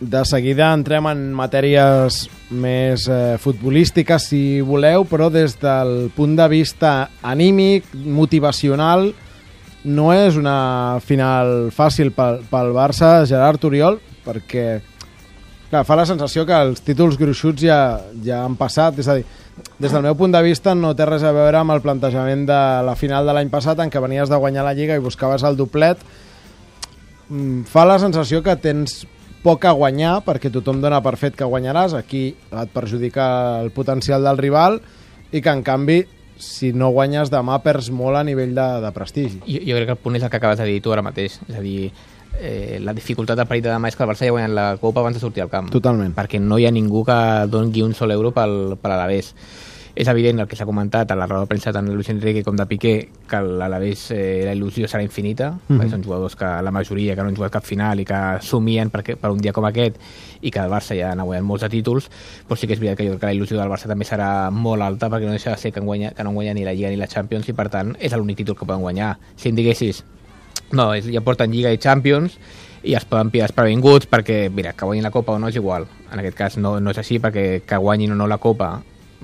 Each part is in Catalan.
De seguida entrem en matèries més futbolístiques, si voleu, però des del punt de vista anímic, motivacional, no és una final fàcil pel Barça, Gerard Oriol, perquè clar, fa la sensació que els títols gruixuts ja han passat, és a dir, des del meu punt de vista no té res a veure amb el plantejament de la final de l'any passat en què venies de guanyar la Lliga i buscaves el doblet. Fa la sensació que tens poc a guanyar perquè tothom dona per fet que guanyaràs, aquí et perjudica el potencial del rival i que en canvi si no guanyes demà perds molt a nivell de prestigi. Jo crec que el punt és el que acabes de dir tu ara mateix, és a dir, la dificultat del partit de demà és que el Barça ja ha guanyat la Copa abans de sortir al camp. Totalment. Perquè no hi ha ningú que doni un sol euro per l'Alavés. És evident el que s'ha comentat a la roda de premsa tant de Luis Enrique com de Piqué, que l'Alavés la il·lusió serà infinita, perquè són jugadors que la majoria que no han jugat cap final i que somien per un dia com aquest i que el Barça ja n'ha guanyat molts de títols, però sí que és veritat que jo crec que la il·lusió del Barça també serà molt alta perquè no deixa de ser que no han guanyat ni la Lliga ni la Champions i per tant és l'únic títol que poden guanyar. Si em diguessis no, ja porten Lliga i Champions i es poden pillar previnguts perquè, mira, que guanyin la Copa o no és igual. En aquest cas no és així perquè que guanyin o no la Copa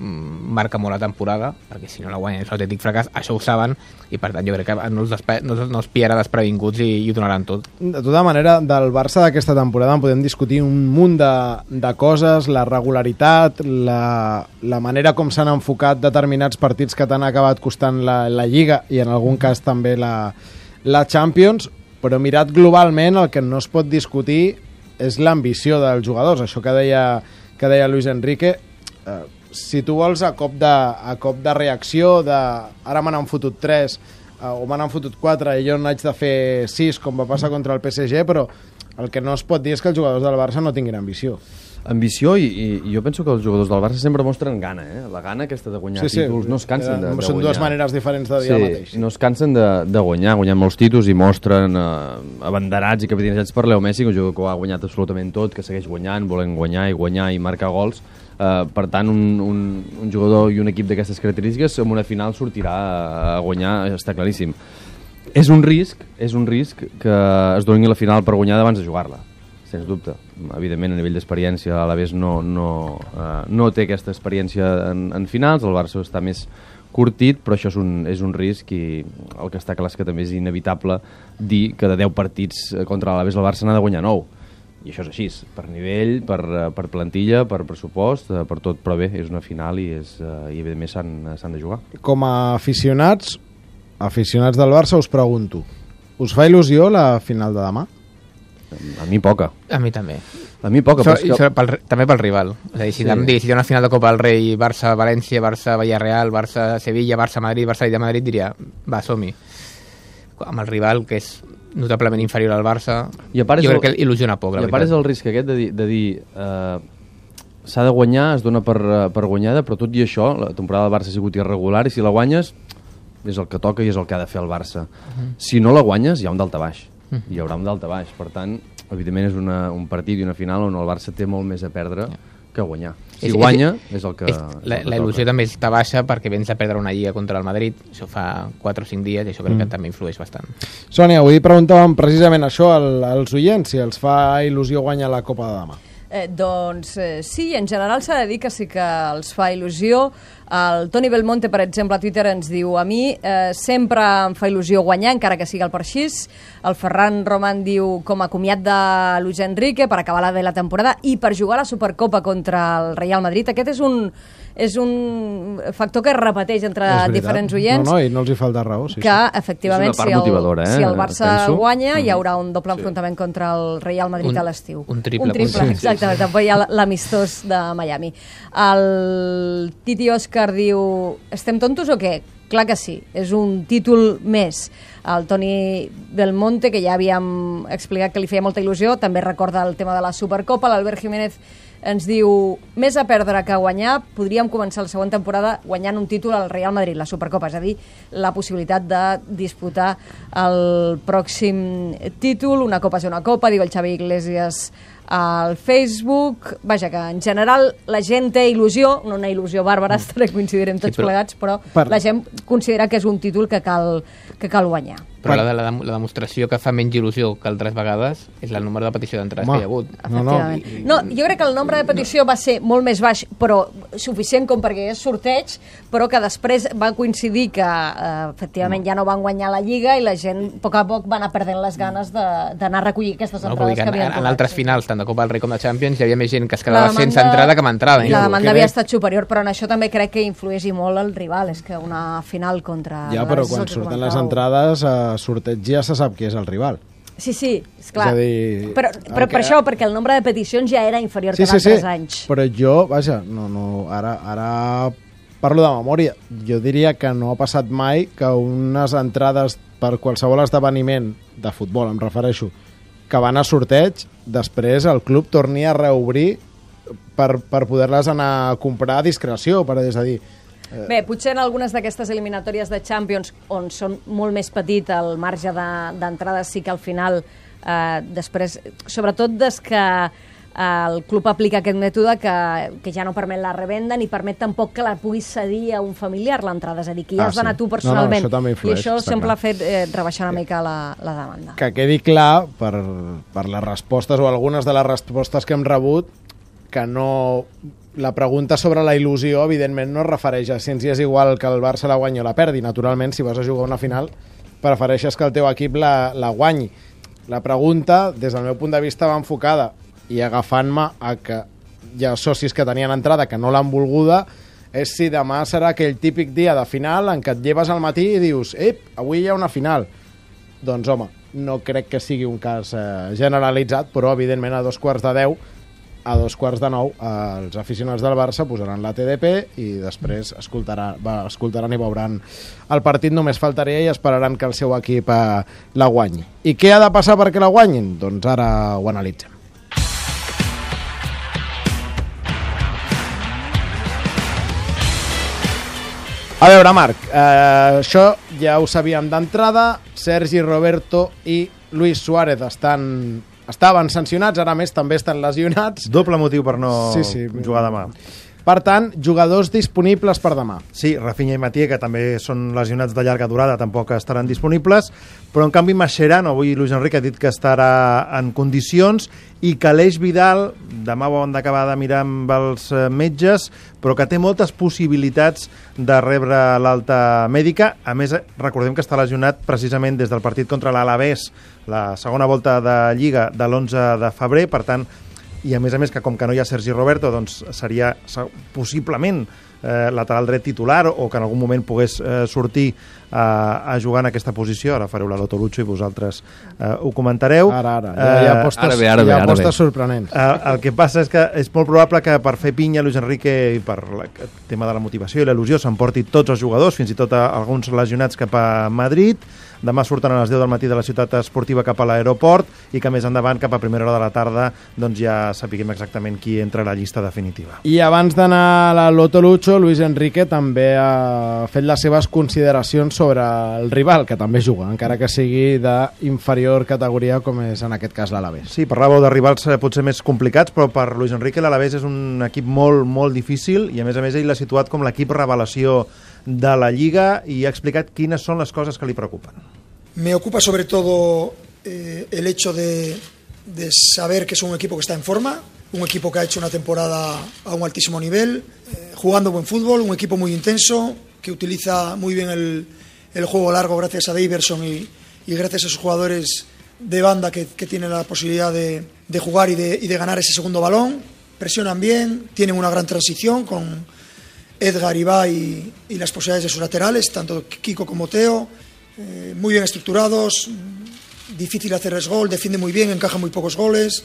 marca molt la temporada, perquè si no la guanyen és un autèntic fracàs, això ho saben i per tant jo crec que no els pillarà desprevinguts i ho donaran tot. De tota manera, del Barça d'aquesta temporada en podem discutir un munt de coses, la regularitat, la manera com s'han enfocat determinats partits que t'han acabat costant la Lliga i en algun cas també la Champions, però mirat globalment el que no es pot discutir és l'ambició dels jugadors, això que deia Luis Enrique. Si tu vols a cop de reacció ara me n'han fotut 3 o me n'han fotut 4 i jo n'haig de fer 6 com va passar contra el PSG, però el que no es pot dir és que els jugadors del Barça no tinguin ambició. Ambició i jo penso que els jugadors del Barça sempre mostren gana, la gana aquesta de guanyar títols, no es cansen de guanyar. Són dues maneres diferents de dir el mateix. No es cansen de guanyar molts títols i mostren abanderats i capitanejats per Leo Messi, que un jugador que ho ha guanyat absolutament tot, que segueix guanyant, volent guanyar i marcar gols. Per tant, un jugador i un equip d'aquestes característiques en una final sortirà a guanyar, està claríssim. És un risc que es doni la final per guanyar abans de jugar-la, sens dubte. Evidentment, a nivell d'experiència, a l'Alavés no té aquesta experiència en finals, el Barça està més curtit, però això és un risc i el que està clar és que també és inevitable dir que de 10 partits contra l'Alavés el Barça n'ha de guanyar 9. I això és així, per nivell, per plantilla, per pressupost, per tot, però bé, és una final i evidentment s'han de jugar. Com a aficionats del Barça us pregunto, us fa il·lusió la final de demà? A mi poca. A mi també. A mi poca. També pel rival. És a dir, si hi ha una final de Copa del Rei, Barça-València, Barça-Villarreal, Barça-Sevilla, Barça-Madrid, Barça-Madrid, diria, va, som-hi. Amb el rival, que és notablement inferior al Barça, jo crec que il·lusiona poc. I a part és el risc aquest de dir s'ha de guanyar, es dona per guanyada, però tot i això, la temporada del Barça ha sigut irregular i si la guanyes és el que toca i és el que ha de fer el Barça. Si no la guanyes, hi ha un daltabaix. Hi haurà un daltabaix. Per tant, evidentment és un partit i una final on el Barça té molt més a perdre que guanyar. Si guanya, és el que... La il·lusió també està baixa perquè vens a perdre una lliga contra el Madrid, això fa 4 o 5 dies i això crec que també influeix bastant. Sònia, avui preguntàvem precisament això als oients, si els fa il·lusió guanyar la Copa de demà. Doncs sí, en general s'ha de dir que sí que els fa il·lusió. El Toni Belmonte, per exemple, a Twitter ens diu: a mi sempre em fa il·lusió guanyar, encara que sigui el Parxís. El Ferran Roman diu: com a comiat de Luis Enrique per acabar la vella temporada i per jugar a la Supercopa contra el Real Madrid. Aquest és un factor que es repeteix entre diferents oients. No, i no els hi falta raó. Sí, que, efectivament, si el Barça guanya, hi haurà un doble enfrontament contra el Real Madrid a l'estiu. Un triple. Exactament, també hi ha l'amistós de Miami. El Titi Òscar diu: estem tontos o què? Clar que sí, és un títol més. El Toni Belmonte, que ja havíem explicat que li feia molta il·lusió, també recorda el tema de la Supercopa. L'Albert Jiménez ens diu: més a perdre que a guanyar, podríem començar la següent temporada guanyant un títol al Real Madrid, la Supercopa, és a dir, la possibilitat de disputar el pròxim títol. Una copa és una copa, diu el Xavi Iglesias al Facebook. Vaja, que en general la gent té il·lusió, no una il·lusió bàrbara, coincidirem tots plegats, però la gent considera que és un títol que cal guanyar. Però la demostració que fa menys il·lusió que altres vegades és el número de petició d'entrades que hi ha hagut. No, jo crec que el nombre de petició va ser molt més baix, però suficient com perquè és sorteig, però que després va coincidir que efectivament ja no van guanyar la Lliga i la gent a poc va anar perdent les ganes d'anar a recollir aquestes entrades que havien en altres finals, tant de Copa del Rei com de Champions, hi havia més gent que es quedava sense entrada que amb entrada. La demanda havia estat superior, però en això també crec que influeix molt el rival, és que una final contra... Ja, però quan surten les entrades, a sorteig ja se sap qui és el rival. Sí, esclar. És a dir, però per això, perquè el nombre de peticions ja era inferior que en altres anys. Però jo, vaja, ara parlo de memòria. Jo diria que no ha passat mai que unes entrades per qualsevol esdeveniment de futbol, em refereixo, que van a sorteig, després el club torni a reobrir per poder-les anar a comprar a discreció, és a dir... Bé, potser en algunes d'aquestes eliminatòries de Champions, on són molt més petit el marge d'entrades, sí que al final, després, sobretot des que el club aplica aquest mètode que ja no permet la revenda ni permet tampoc que la puguis cedir a un familiar l'entrada, és a dir, que ja has d'anar tu personalment. Això també influeix, i això sempre ha fet rebaixar una mica la demanda. Que quedi clar, per les respostes o algunes de les respostes que hem rebut, que no... La pregunta sobre la il·lusió, evidentment, no es refereix a si ens és igual que el Barça la guanyi o la perdi. Naturalment, si vas a jugar una final, prefereixes que el teu equip la guanyi. La pregunta, des del meu punt de vista, va enfocada, i agafant-me a que hi ha socis que tenien entrada que no l'han volguda, és si demà serà aquell típic dia de final en què et lleves al matí i dius avui hi ha una final. Doncs, home, no crec que sigui un cas generalitzat, però, evidentment, a 8:45, a 8:45, els aficionats del Barça posaran la TDP i després escoltaran i veuran el partit, només faltaria, i esperaran que el seu equip la guanyi. I què ha de passar perquè la guanyin? Doncs ara ho analitzem. A veure, Marc, això ja ho sabíem d'entrada. Sergi Roberto i Luis Suárez estaven sancionats, ara més també estan lesionats. Doble motiu per no jugar demà. Per tant, jugadors disponibles per demà. Sí, Rafinha i Mathieu, que també són lesionats de llarga durada, tampoc estaran disponibles, però en canvi Mascherano, avui Luis Enrique ha dit que estarà en condicions, i que Aleix Vidal, demà ho han d'acabar de mirar amb els metges, però que té moltes possibilitats de rebre l'alta mèdica. A més, recordem que està lesionat precisament des del partit contra l'Alavés, la segona volta de Lliga de l'11 de febrer, per tant, i a més que com que no hi ha Sergi Roberto, doncs seria possiblement lateral dret titular, o que en algun moment pogués sortir a jugar en aquesta posició. Ara fareu la Lotolucho i vosaltres ho comentareu. Ara. Hi ha apostes sorprenents. El que passa és que és molt probable que per fer pinya Luis Enrique, i per el tema de la motivació i la il·lusió, s'emporti tots els jugadors, fins i tot alguns lesionats, cap a Madrid. Demà surten a les 10 del matí de la ciutat esportiva cap a l'aeroport, i que més endavant, cap a primera hora de la tarda, doncs ja sapiguem exactament qui entra a la llista definitiva. I abans d'anar a la Lotolucho, Luis Enrique també ha fet les seves consideracions sobre el rival, que també juga, encara que sigui d'inferior categoria, com és en aquest cas l'Alavés. Sí, parlàveu de rivals potser més complicats, però per Luis Enrique l'Alavés és un equip molt, molt difícil, i a més ell l'ha situat com l'equip revelació de la Lliga, y ha explicat quines son las cosas que le preocupan. Me ocupa sobre todo el hecho de saber que es un equipo que está en forma, un equipo que ha hecho una temporada a un altísimo nivel, jugando buen fútbol, un equipo muy intenso, que utiliza muy bien el juego largo gracias a Daverson y gracias a sus jugadores de banda que tienen la posibilidad de jugar y de ganar ese segundo balón. Presionan bien, tienen una gran transición con Edgar, Ibai y las posibilidades de sus laterales, tanto Kiko como Teo, muy bien estructurados, difícil hacerles gol, defiende muy bien, encaja muy pocos goles.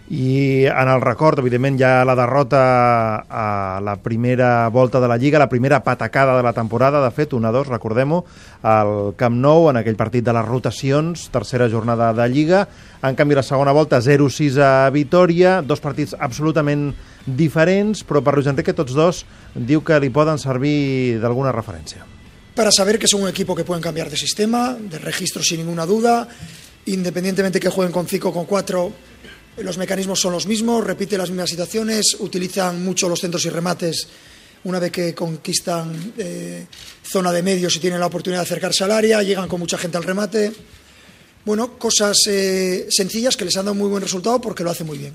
I en el record, evidentment, hi ha la derrota a la primera volta de la Lliga, la primera patacada de la temporada, de fet, 1-2, recordem-ho, al Camp Nou, en aquell partit de les rotacions, tercera jornada de Lliga. En canvi, la segona volta, 0-6 a Vitòria, dos partits absolutament diferents, però per Luis Enrique tots dos diu que li poden servir d'alguna referència. Para saber que son un equipo que pueden cambiar de sistema, de registro sin ninguna duda, independientemente que jueguen con 5 o con 4, los mecanismos son los mismos, repiten las mismas situaciones, utilizan mucho los centros y remates una vez que conquistan zona de medios y tienen la oportunidad de acercarse al área, llegan con mucha gente al remate. Bueno, cosas sencillas que les han dado muy buen resultado porque lo hacen muy bien.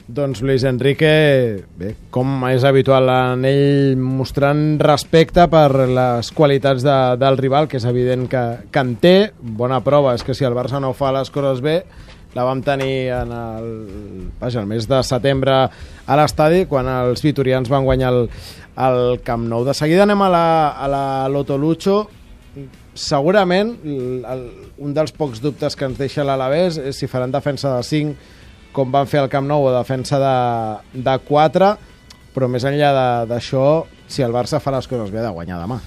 Doncs Luis Enrique, bé, com és habitual en ell, mostrant respecte per les qualitats del rival, que és evident que en té. Bona prova és que si el Barça no fa les coses bé, la vam tenir en el mes de setembre a l'estadi, quan els vitorians van guanyar el Camp Nou. De seguida anem a la Loto Lucho. Segurament un dels pocs dubtes que ens deixa l'Alavés és si faran defensa de 5 com van fer al Camp Nou o defensa de 4, però més enllà d'això, si el Barça fa les coses bé, ha de guanyar demà.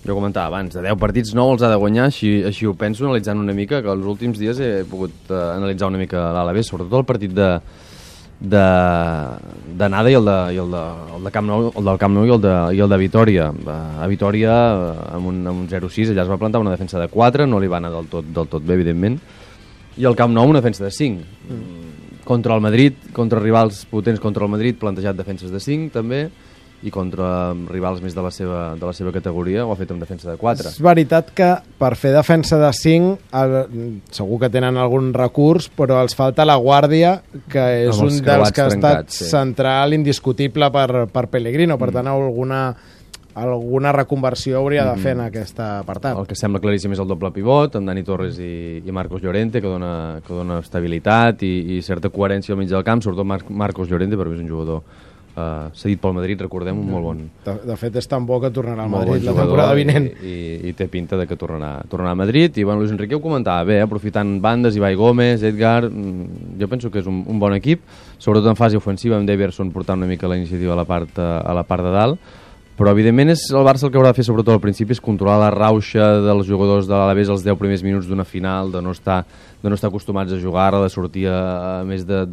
Jo comentava abans, de 10 partits 9 els ha de guanyar, així ho penso, analitzant una mica, que els últims dies he pogut analitzar una mica l'Alavés, sobretot el partit d'anada i el de Camp Nou, el del Camp Nou i el de Vitòria. A Vitòria, amb un 0-6, allà es va plantar una defensa de 4, no li va anar del tot bé, evidentment, i el Camp Nou una defensa de 5. Contra el Madrid, contra rivals potents contra el Madrid, plantejat defenses de 5 també, i contra rivals més de la seva categoria ho ha fet amb defensa de 4. És veritat que per fer defensa de 5 segur que tenen algun recurs, però els falta la guàrdia, que és un dels que ha estat central, indiscutible per Pellegrino, per tant alguna reconversió hauria de fer en aquest apartat. El que sembla claríssim és el doble pivot, amb Dani Torres i Marcos Llorente, que dona estabilitat i certa coherència al mig del camp, sobretot Marcos Llorente, perquè és un jugador cedit pel Madrid, recordem, un molt bon... De fet, és tan bo que tornarà al Madrid la temporada vinent. I té pinta de que tornarà a Madrid. I Luis Enrique ho comentava bé, aprofitant bandes, Ibai Gómez, Edgar... Jo penso que és un bon equip, sobretot en fase ofensiva, amb Deverson portant una mica la iniciativa a la part de dalt, però evidentment és el Barça el que haurà de fer sobretot al principi és controlar la rauxa dels jugadors de l'Alavés els 10 primers minuts d'una final, de no estar acostumats a jugar, de sortir a més de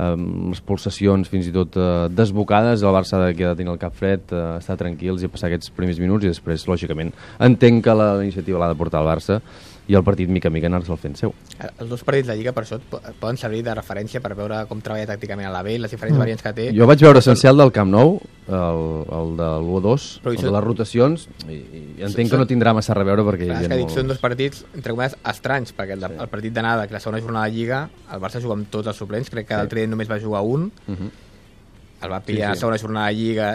les pulsacions fins i tot desbocades. El Barça ha de tenir el cap fred, estar tranquils i passar aquests primers minuts, i després, lògicament, entenc que la iniciativa l'ha de portar el Barça i el partit mica en mica anar-se'l fent seu. Els dos partits de Lliga per això poden servir de referència per veure com treballa tàcticament a l'Alavés, les diferents variants que té. Jo vaig veure essencial del Camp Nou, el de l'1-2, el de les rotacions, i entenc que no tindrà massa a veure perquè... És que dic, són dos partits, entre cometes, estranys, perquè el partit d'anada, que la segona jornada de Lliga, el Barça juga amb tots els suplents, crec que l'altre dia només va jugar un, el va pillar a la segona jornada de Lliga,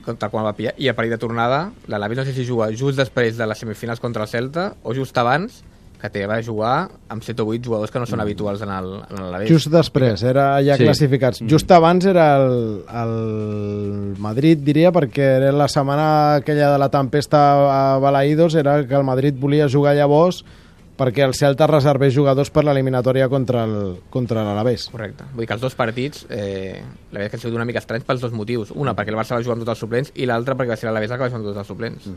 tal quan el va pillar, i el partit de tornada, l'Alavés no sé si juga just després de les semifinals contra el Celta, o just abans, que va jugar amb 7 o 8 jugadors que no són habituals en l'Alavés. Just després, era ja classificats. Just abans era el Madrid, diria, perquè era la setmana aquella de la tempesta a Balaïdos, era que el Madrid volia jugar llavors perquè el Celta reservés jugadors per l'eliminatòria contra l'Alavés. Correcte. Vull dir que els dos partits, la veritat que han sigut una mica estranys pels dos motius. Una, perquè el Barça va jugar amb tots els suplents, i l'altra, perquè va ser l'Alavés el que va jugar amb tots els suplents.